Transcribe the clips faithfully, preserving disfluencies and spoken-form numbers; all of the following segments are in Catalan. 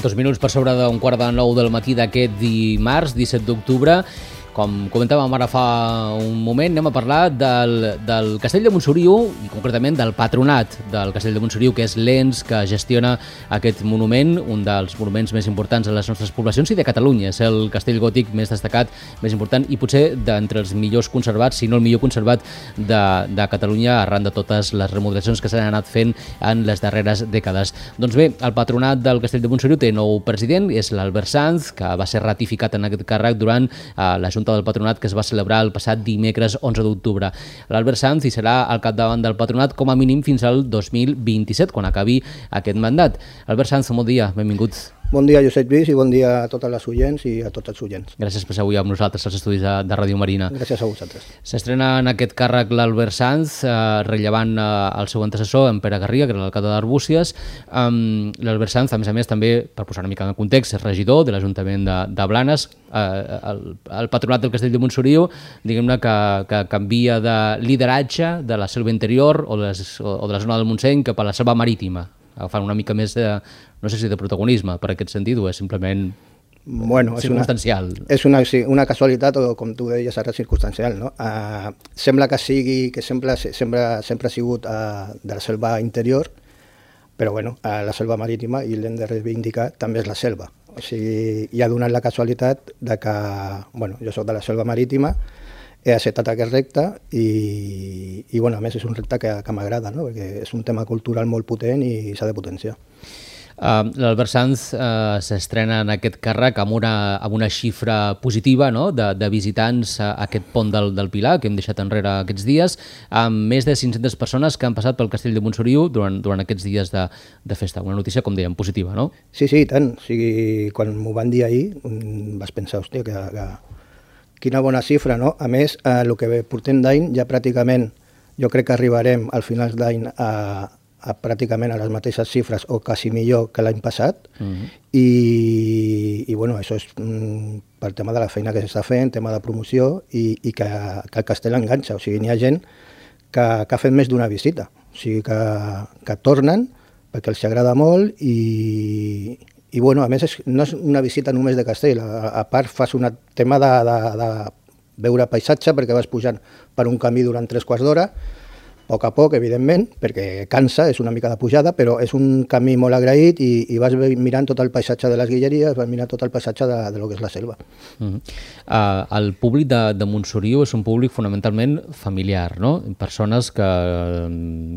Dos minuts per sobre d'un quart de nou del matí d'aquest dimarts, disset d'octubre. Com comentàvem ara fa un moment, anem a parlar del, del Castell de Montsoriu i concretament del patronat del Castell de Montsoriu, que és l'ens que gestiona aquest monument, un dels monuments més importants de les nostres poblacions i de Catalunya. És el castell gòtic més destacat, més important i potser d'entre els millors conservats, si no el millor conservat de, de Catalunya, arran de totes les remodelacions que s'han anat fent en les darreres dècades. Doncs bé, el patronat del Castell de Montsoriu té nou president, és l'Albert Sanz, que va ser ratificat en aquest càrrec durant eh, la Junta del Patronat que es va celebrar el passat dimecres onze d'octubre. L'Albert Sanz hi serà al capdavant del patronat com a mínim fins al dos mil vint-i-set, quan acabi aquest mandat. Albert Sanz, bon dia, benvingut. Bon dia, Josep Lluís, i bon dia a totes les oients i a tots els oients. Gràcies per ser avui amb nosaltres als estudis de, de Ràdio Marina. Gràcies a vosaltres. S'estrena en aquest càrrec l'Albert Sanz, eh, rellevant eh, el seu antecessor, en Pere Garriga, que era l'alcalde d'Arbúcies. Um, L'Albert Sanz, a més a més, també, per posar una mica en context, és regidor de l'Ajuntament de, de Blanes. Eh, el, el patronat del Castell de Montsoriu, diguem-ne que, que canvia de lideratge de la selva interior o de, les, o de la zona del Montseny cap a la selva marítima, agafant una mica més de, no sé si de protagonisme per aquest sentit, o és simplement bueno, circumstancial? És una, és una, una casualitat, o com tu deies ara, circumstancial, no? Uh, sembla que sigui, que sempre, sempre, sempre ha sigut uh, de la selva interior, però bueno, uh, la selva marítima, i l'hem de reivindicar, també és la selva. O sigui, hi ha donat la casualitat de que, bueno, jo soc de la selva marítima, he acceptat aquest repte i, i bueno, a més és un repte que, que m'agrada, no? Perquè és un tema cultural molt potent i s'ha de potenciar. Uh, L'Albert Sanz uh, s'estrena en aquest càrrec amb una, amb una xifra positiva, no? de, de visitants a aquest pont del, del Pilar, que hem deixat enrere aquests dies, amb més de cinc-centes persones que han passat pel Castell de Montsoriu durant, durant aquests dies de, de festa. Una notícia, com dèiem, positiva, no? Sí, sí, i tant. O sigui, quan m'ho van dir ahir, vas pensar, hòstia, que... que... quina bona xifra, no? A més, eh, el que portem d'any ja pràcticament, jo crec que arribarem al final d'any a, a pràcticament a les mateixes xifres o quasi millor que l'any passat. Uh-huh. I, i bueno, això és mm, pel tema de la feina que s'està fent, tema de promoció i, i que, que el castell enganxa. O sigui, n'hi ha gent que, que ha fet més d'una visita. O sigui, que, que tornen perquè els agrada molt i... I bueno, a més, és, no és una visita només de castell, a, a part fas un tema de, de, de veure paisatge perquè vas pujant per un camí durant tres quarts d'hora, a poc a poc, evidentment, perquè cansa, és una mica de pujada, però és un camí molt agraït i, i vas mirant tot el paisatge de les Guilleries, vas mirant tot el paisatge de, de lo que és la selva. Uh -huh. uh, el públic de, de Montsoriu és un públic fonamentalment familiar, no? Persones que,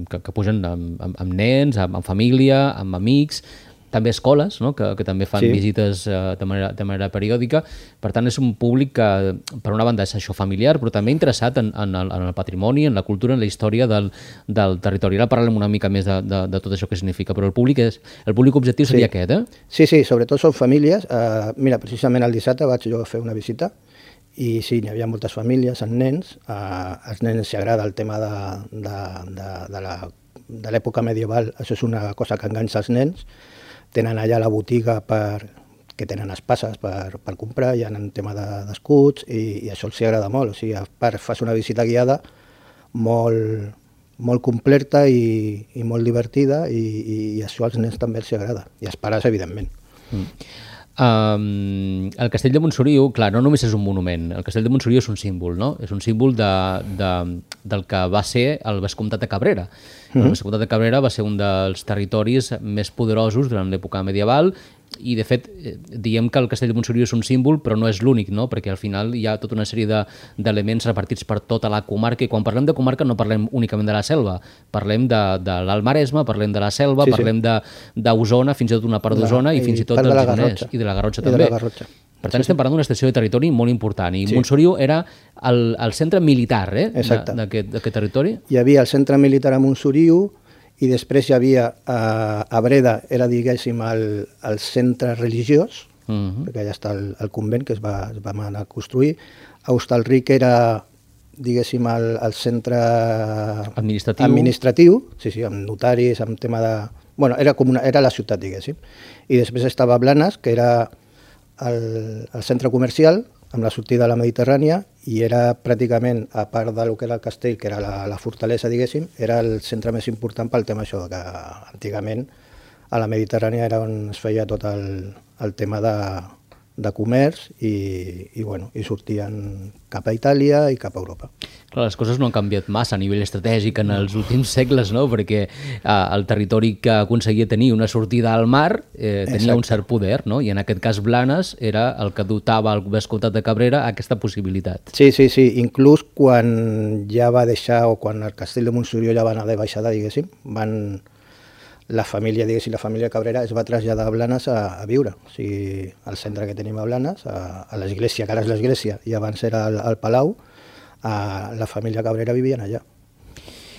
que, que pugen amb, amb, amb nens, amb, amb família, amb amics, també escoles, no? que, que també fan sí. visites uh, de, manera, de manera periòdica. Per tant, és un públic que, per una banda, és això familiar, però també interessat en, en, el, en el patrimoni, en la cultura, en la història del, del territori. Ara parlem una mica més de, de, de tot això que significa, però el públic, és, el públic objectiu seria sí. aquest, eh? Sí, sí, sobretot són famílies. Uh, mira, precisament el dissabte vaig jo a fer una visita i sí, n'hi havia moltes famílies amb nens. Uh, als nens s'hi agrada el tema de, de, de, de, la, de l'època medieval. Això és una cosa que enganxa els nens. Tenen allà la botiga per, que tenen espases per, per comprar, hi ha un tema d'escuts de, i, i això els agrada molt. O sigui, a part fas una visita guiada molt, molt completa i, i molt divertida i, i, i això als nens també els agrada, i als pares, evidentment. Mm. Um, el Castell de Montsoriu, clar, no només és un monument, el Castell de Montsoriu és un símbol, no? És un símbol de, de, del que va ser el Vescomtat de Cabrera. Mm-hmm. El Vescomtat de Cabrera va ser un dels territoris més poderosos durant l'època medieval i, de fet, diem que el Castell de Montsoriu és un símbol, però no és l'únic, no? Perquè al final hi ha tota una sèrie d'elements de, repartits per tota la comarca, i quan parlem de comarca no parlem únicament de la selva, parlem de, de l'Alt Maresme, parlem de la selva, sí, parlem sí. d'Osona, fins i tot una part d'Osona i, i fins i tot del Gironès, i de la Garrotxa també. De la Garrotxa. Per tant, sí, estem parlant d'una estació de territori molt important, i sí. Montsoriu era el, el centre militar eh, d'aquest territori. Hi havia el centre militar a Montsoriu, i després hi havia a, a Breda, era, diguéssim, el, el centre religiós, uh-huh. perquè allà està el, el convent que es va, es va anar a construir. A Hostalric era, diguéssim, el, el centre administratiu. administratiu, sí, sí, amb notaris, amb tema de... Bueno, era, com una, era la ciutat, diguéssim. I després estava Blanes, que era el, el centre comercial, amb la sortida a la Mediterrània, i era pràcticament, a part del que era el castell, que era la, la fortalesa, diguéssim, era el centre més important pel tema això, que antigament a la Mediterrània era on es feia tot el, el tema de, de comerç i, i, bueno, i sortien cap a Itàlia i cap a Europa. Clar, les coses no han canviat massa a nivell estratègic en els últims segles, no? Perquè eh, el territori que aconseguia tenir una sortida al mar eh, tenia Exacte. un cert poder, no? I en aquest cas Blanes era el que dotava el vescomtat de Cabrera aquesta possibilitat. Sí, sí, sí. Inclús quan ja va deixar, o quan el castell de Montsorió ja va anar de baixada, diguéssim, van... la família, diguéssim, la família Cabrera es va traslladar a Blanes a, a viure. O sigui, al centre que tenim a Blanes, a, a l'església, que ara és l'església, i abans era el, el Palau, a, la família Cabrera vivien allà.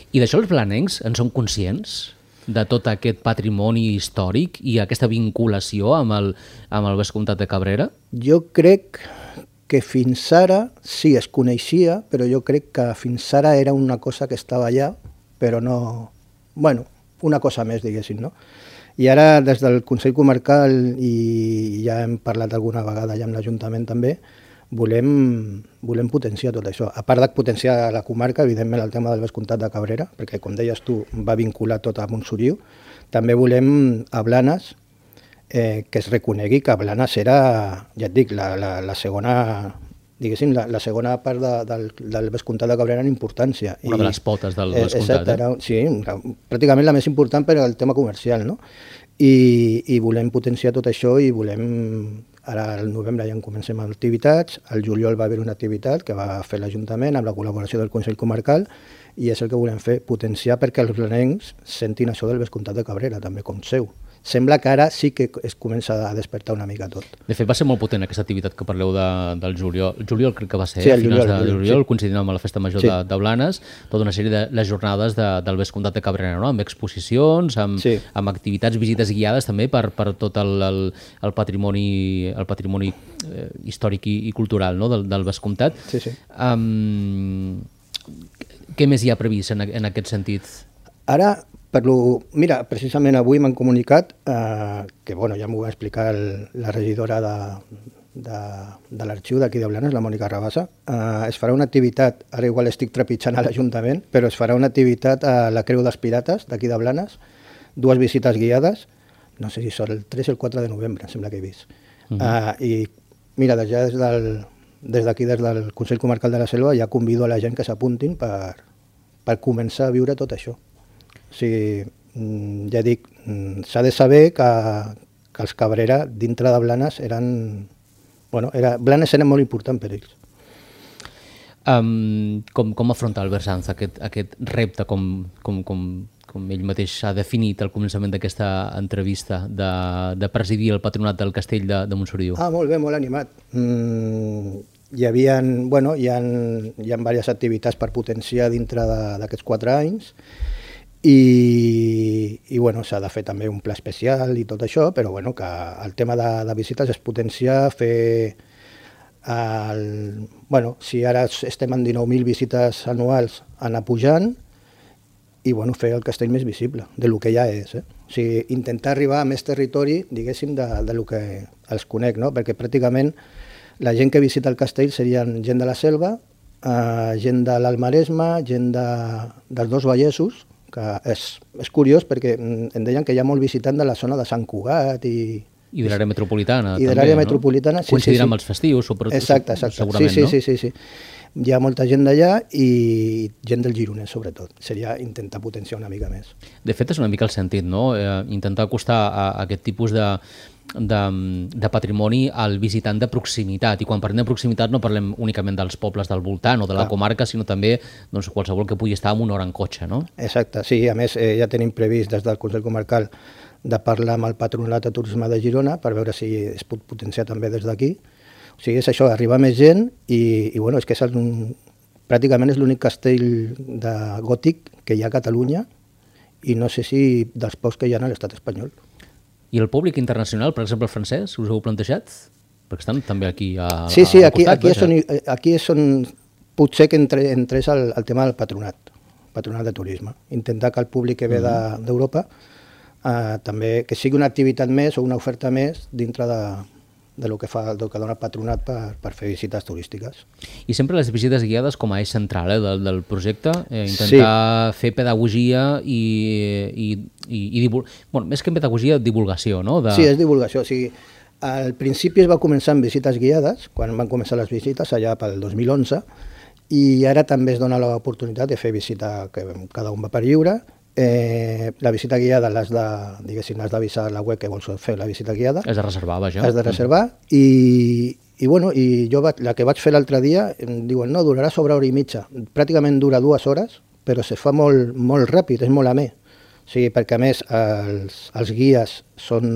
I d'això els blanencs en són conscients? De tot aquest patrimoni històric i aquesta vinculació amb el, amb el vescomtat de Cabrera? Jo crec que fins ara sí es coneixia, però jo crec que fins ara era una cosa que estava allà, però no... Bueno, una cosa més, diguéssim, no? I ara, des del Consell Comarcal, i ja hem parlat alguna vegada ja amb l'Ajuntament també, volem, volem potenciar tot això. A part de potenciar la comarca, evidentment el tema del vescomtat de Cabrera, perquè, com deies tu, va vincular tot a Montsoriu, també volem a Blanes eh, que es reconegui que Blanes era, ja et dic, la, la, la segona... diguéssim, la, la segona part de, del, del vescomtat de Cabrera en importància. Una I, de les potes del eh, vescomtat. Exacte, era, sí, pràcticament la més important per al tema comercial, no? I, i volem potenciar tot això i volem... Ara al novembre ja en comencem activitats, al juliol va haver una activitat que va fer l'Ajuntament amb la col·laboració del Consell Comarcal i és el que volem fer, potenciar perquè els blanencs sentin això del vescomtat de Cabrera, també com seu. Sembla que ara sí que es comença a despertar una mica tot. De fet, va ser molt potent aquesta activitat que parleu de, del juliol. El juliol crec que va ser, sí, a finals juliol, de juliol, sí. coincidint amb la Festa Major sí. de, de Blanes, tota una sèrie de les jornades de, del vescomtat de Cabrera, no? Amb exposicions, amb, sí. amb activitats, visites guiades també per, per tot el, el, el patrimoni, el patrimoni eh, històric i, i cultural, no? del, del vescomtat. Sí, sí. Um, què més hi ha previst en, en aquest sentit? Ara, per lo, mira, precisament avui m'han comunicat eh, que, bueno, ja m'ho va explicar el, la regidora de, de, de l'arxiu d'aquí de Blanes, la Mònica Rabassa, eh, es farà una activitat, ara igual estic trepitjant a l'Ajuntament, però es farà una activitat a la Creu dels Pirates d'aquí de Blanes, dues visites guiades, no sé si són el tres o el quatre de novembre, em sembla que he vist. Uh -huh. eh, I mira, des, ja des del, des d'aquí, des del Consell Comarcal de la Selva, ja convido a la gent que s'apuntin per, per començar a viure tot això. O sigui, ja dic, s'ha de saber que, que els Cabrera dintre de Blanes eren... Bueno, era, Blanes era molt important per ells. Um, com, com afronta Albert Sanz aquest, aquest repte, com, com, com, com ell mateix ha definit al començament d'aquesta entrevista, de, de presidir el patronat del Castell de, de Montsoriu? Ah, molt bé, molt animat. Mm, hi havia, bueno, hi ha, hi ha diverses activitats per potenciar dintre d'aquests quatre anys, i, i bueno, s'ha de fer també un pla especial i tot això, però bueno, que el tema de, de visites és potenciar, fer el, bueno, si ara estem en dinou mil visites anuals, anar pujant i bueno, fer el castell més visible de lo que ja és, eh? O sigui, intentar arribar a més territori, diguéssim, de, de lo que els conec, no? Perquè pràcticament la gent que visita el castell serien gent de la Selva, eh, gent de l'Alt Maresme, gent de, dels dos Vallesos, que és, és curiós perquè em deien que hi ha molt visitant de la zona de Sant Cugat i... I de l'àrea metropolitana, I de l'àrea metropolitana, sí, coincidirà sí, amb els festius, sobretot, exacte, exacte. segurament, sí, sí, no? Sí, sí, sí. Hi ha molta gent d'allà i gent del Gironès, sobretot. Seria intentar potenciar una mica més. De fet, és una mica el sentit, no? Eh, intentar acostar a, a aquest tipus de, de, de patrimoni al visitant de proximitat. I quan parlem de proximitat no parlem únicament dels pobles del voltant o de la ah. comarca, sinó també doncs, qualsevol que pugui estar en una hora en cotxe, no? Exacte, sí. A més, eh, ja tenim previst des del Consell Comarcal de parlar amb el Patronat de Turisme de Girona per veure si es pot potenciar també des d'aquí. O sigui, és això, arribar més gent i, i bueno, és que és un, pràcticament és l'únic castell de gòtic que hi ha a Catalunya i no sé si dels pocs que hi ha a l'estat espanyol. I el públic internacional, per exemple el francès, us heu plantejat? Perquè estan també aquí a, sí, sí, a aquí, costat. Aquí és, on, aquí és on potser que entre, entrés el, el tema del patronat, patronat de turisme. Intentar que el públic que ve mm-hmm. d'Europa eh, també que sigui una activitat més o una oferta més dintre de, de lo que fa, del que dona el patronat per, per fer visites turístiques. I sempre les visites guiades com a eix central eh, del, del projecte, eh, intentar sí. fer pedagogia i, i, i, i divul... bueno, més que en pedagogia, divulgació, no? De... Sí, és divulgació. O sigui, al principi es va començar amb visites guiades, quan van començar les visites, allà pel dos mil onze, i ara també es dona l'oportunitat de fer visita, que cada un va per lliure. Eh, la visita guiada l'has de, diguéssim, has d'avisar a la web que vols fer la visita guiada. Has de reservar, vaja. Has de reservar i, i, bueno, i jo va, la que vaig fer l'altre dia, em diuen, no, durarà sobre hora i mitja. Pràcticament dura dues hores, però se fa molt, molt ràpid, és molt amè. O sigui, perquè a més els, els guies són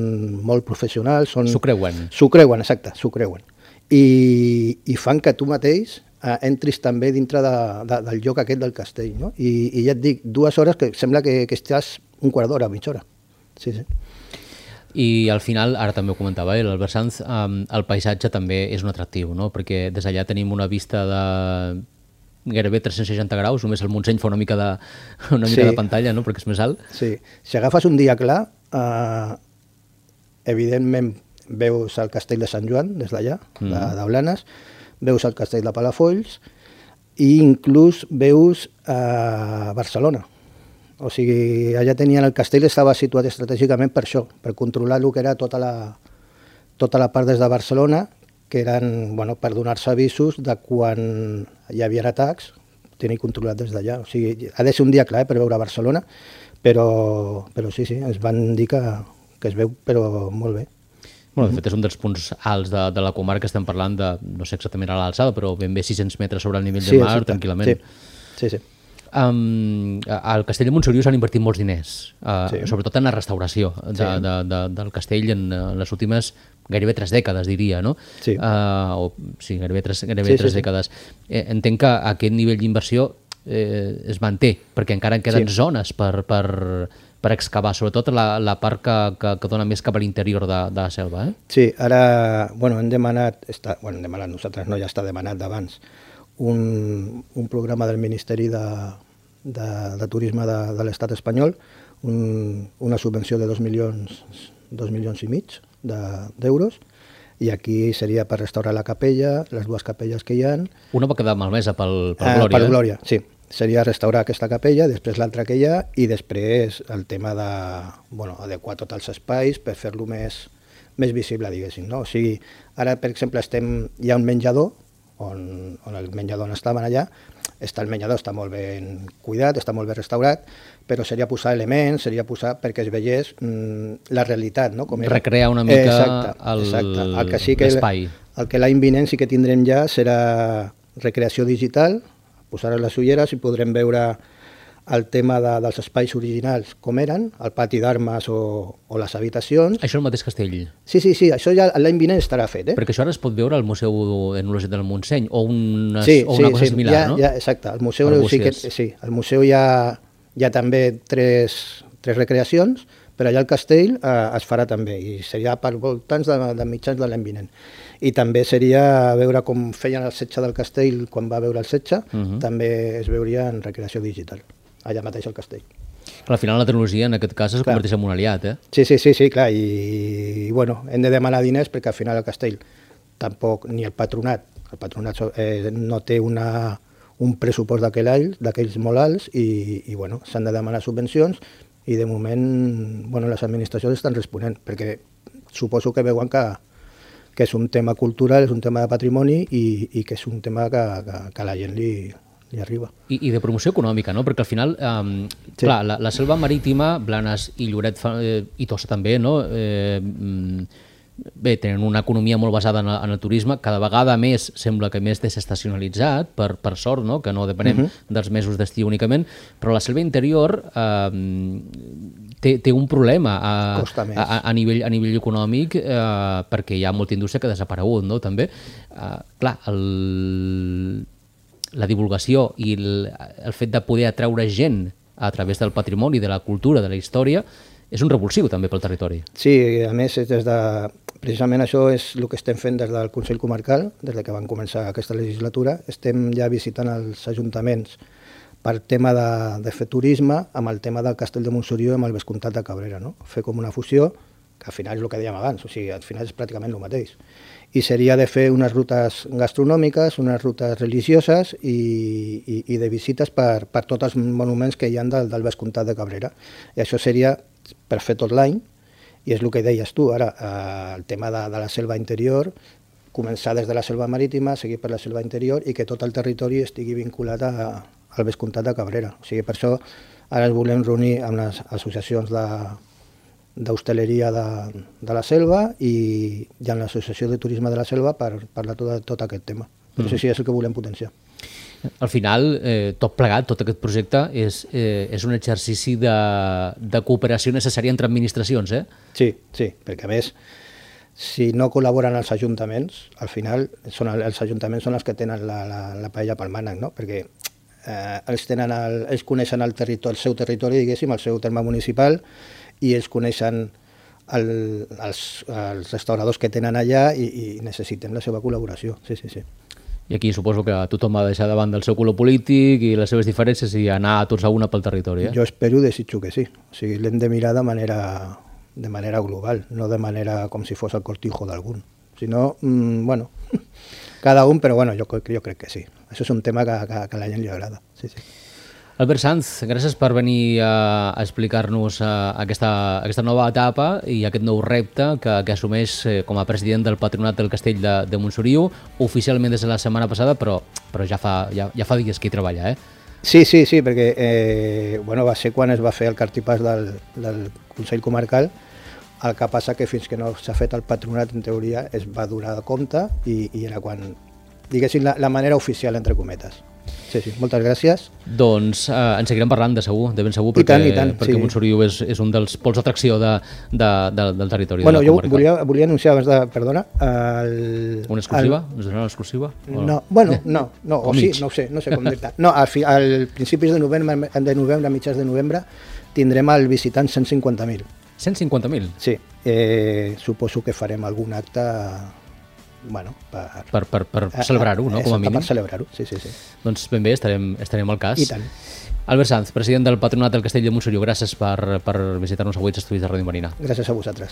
molt professionals. Són... S'ho creuen. S'ho creuen, exacte, s'ho creuen. I, i fan que tu mateix eh, entris també dintre de, de, del lloc aquest del castell, no? I, i ja et dic, dues hores que sembla que, que estàs un quart d'hora, mitja hora. Sí, sí. I al final, ara també ho comentava eh, l'Albert Sanz, um, el paisatge també és un atractiu, no? Perquè des d'allà tenim una vista de gairebé tres-cents seixanta graus, només el Montseny fa una mica de, una mica sí. de pantalla, no? Perquè és més alt. Sí, si agafes un dia clar, eh, evidentment veus el castell de Sant Joan des d'allà, mm. de, de Blanes, veus el castell de Palafolls i inclús veus eh, Barcelona. O sigui, allà tenien el castell, estava situat estratègicament per això, per controlar el que era tota la, tota la part des de Barcelona, que eren, bueno, per donar-se avisos de quan hi havia atacs, tenir controlat des d'allà. O sigui, ha de ser un dia clar eh, per veure Barcelona, però, però sí, sí, ens van dir que, que es veu però molt bé. Bueno, de fet, és un dels punts alts de, de la comarca, estem parlant de, no sé exactament a l'alçada, però ben bé sis-cents metres sobre el nivell sí, del mar, exacte. tranquil·lament. Sí, sí. sí. Um, al castell de Montsoriu s'han invertit molts diners, uh, sí. sobretot en la restauració de, sí. de, de, del castell en, en les últimes gairebé tres dècades, diria, no? Sí. Uh, o, sí, gairebé tres, gairebé sí, tres sí, dècades. Sí. Eh, entenc que aquest nivell d'inversió eh, es manté, perquè encara en queden sí. zones per, per, per excavar, sobretot la, la part que, que, que dona més cap a l'interior de, de la selva. Eh? Sí, ara bueno, hem demanat, està, bueno, hem demanat nosaltres, no, ja està demanat d'abans, un, un programa del Ministeri de, de, de Turisme de, de l'Estat espanyol, un, una subvenció de dos milions, dos milions i mig d'euros, de, i aquí seria per restaurar la capella, les dues capelles que hi ha. Una va quedar malmesa pel, pel eh, Glòria. Per Glòria, sí. Seria restaurar aquesta capella, després l'altra que hi ha, i després el tema de, bueno, adequar tots els espais per fer-lo més, més visible, diguéssim. No? O sigui, ara, per exemple, estem, hi ha un menjador, on, on el menjador on estaven allà, està el menjador està molt ben cuidat, està molt ben restaurat, però seria posar elements, seria posar perquè es veiés mm, la realitat. No? Com recrear una mica l'espai. El, el que l'any vinent sí que tindrem ja serà recreació digital, posar les ulleres i podrem veure el tema de, dels espais originals com eren, el pati d'armes o, o les habitacions. Això és el mateix castell? Sí, sí, sí, això ja l'any vinent estarà fet. Eh? Perquè això ara es pot veure al Museu Etnològic del Montseny o una, sí, o una sí, cosa sí, similar, ja, no? Ja, exacte, el museu, sí, que, sí, el museu hi ha, hi ha també tres, tres recreacions, però allà al castell eh, es farà també, i seria per voltants de, de mitjans de l'any vinent. I també seria veure com feien el setge del castell quan va veure el setge, uh -huh. també es veuria en recreació digital, allà mateix al castell. Al final la tecnologia en aquest cas es clar. converteix en un aliat, eh? Sí, sí, sí, sí clar, i, i bueno, hem de demanar diners perquè al final el castell tampoc, ni el patronat, el patronat eh, no té una, un pressupost d'aquells molt alts i, i bueno, s'han de demanar subvencions i de moment bueno, les administracions estan responent perquè suposo que veuen que que és un tema cultural, és un tema de patrimoni i, i que és un tema que, que, que a la gent li, li arriba. I, I de promoció econòmica, no? Perquè al final, eh, sí. clar, la, la selva marítima, Blanes i Lloret fa, eh, i Tossa també, no? Eh, bé, tenen una economia molt basada en, en el turisme, cada vegada més sembla que més desestacionalitzat, per, per sort, no? Que no depenem uh -huh. dels mesos d'estiu únicament, però la selva interior eh, té, té un problema a, a, a, nivell, a nivell econòmic eh, perquè hi ha molta indústria que ha desaparegut, no? També, eh, clar, el, la divulgació i el, el fet de poder atraure gent a través del patrimoni, de la cultura, de la història, és un revulsiu també pel territori. Sí, a més, des de, precisament això és el que estem fent des del Consell Comarcal, des que van començar aquesta legislatura. Estem ja visitant els ajuntaments per tema de, de fer turisme amb el tema del Castell de Montsoriu i amb el Vescomtat de Cabrera. No? Fer com una fusió que al final és el que dèiem abans, o sigui, al final és pràcticament el mateix. I seria de fer unes rutes gastronòmiques, unes rutes religioses i, i, i de visites per, per tots els monuments que hi ha del, del Vescomtat de Cabrera. I això seria per fer tot l'any, i és el que deies tu, ara, eh, el tema de, de la selva interior, començar des de la selva marítima, seguir per la selva interior i que tot el territori estigui vinculat a, al Vescomtat de Cabrera. O sigui, per això ara ens volem reunir amb les associacions de d'hostaleria de, de la selva i, i amb l'Associació de Turisme de la Selva per parlar tot, tot aquest tema. Però mm. sí, és el que volem potenciar. Al final, eh, tot plegat, tot aquest projecte, és, eh, és un exercici de, de cooperació necessària entre administracions, eh? Sí, sí, perquè a més, si no col·laboren els ajuntaments, al final són els ajuntaments són els que tenen la, la, la paella pel mànec, no? Perquè eh, ells, tenen el, ells coneixen el, territori, el seu territori, diguéssim, el seu terme municipal, i ells coneixen el, els, els restauradors que tenen allà i, i necessiten la seva col·laboració. Sí, sí, sí. I aquí suposo que tothom va deixar davant del seu color polític i les seves diferències i anar tots a una pel territori. Eh? Jo espero i desitjo que sí. O sigui, l'hem de mirar de manera, de manera global, no de manera com si fos el cortijo d'algun. Si no, mmm, bueno, cada un, però bueno, jo, jo crec que sí. Això és un tema que, que, que a la gent li agrada. Sí, sí. Albert Sanz, gràcies per venir a, a explicar-nos aquesta, aquesta nova etapa i aquest nou repte que, que assumeix com a president del Patronat del Castell de, de Montsoriu, oficialment des de la setmana passada, però, però ja, fa, ja, ja fa dies que hi treballa, eh? Sí, sí, sí, perquè eh, bueno, va ser quan es va fer el cartipàs del, del Consell Comarcal. El que passa que fins que no s'ha fet el Patronat, en teoria, es va donar compte i, i era quan, diguéssim, la, la manera oficial, entre cometes. Sí, sí, moltes gràcies. Doncs eh, en seguirem parlant de segur, de ben segur, perquè, I tant, i tant, perquè sí. Montsoriu és, és un dels pols d'atracció de, de, de, del territori bueno, de la comarca. Jo volia, volia anunciar abans de... Perdona. El, una exclusiva? El, Ens donarà una exclusiva? O... No, bueno, no, no o, o sí, no ho sé, no sé com dir-te. No, al, fi, al principis de novembre, de novembre, a mitjans de novembre, tindrem al visitant cent cinquanta mil. cent cinquanta mil? Sí, eh, suposo que farem algun acte... Bueno, per, per, per, per celebrar-ho, no? Com a mínim. Per celebrar-ho, sí, sí, sí. Doncs ben bé, estarem, estarem al cas. I tant. Albert Sanz, president del Patronat del Castell de Montsoriu, gràcies per, per visitar-nos avui als estudis de Ràdio Marina. Gràcies a vosaltres.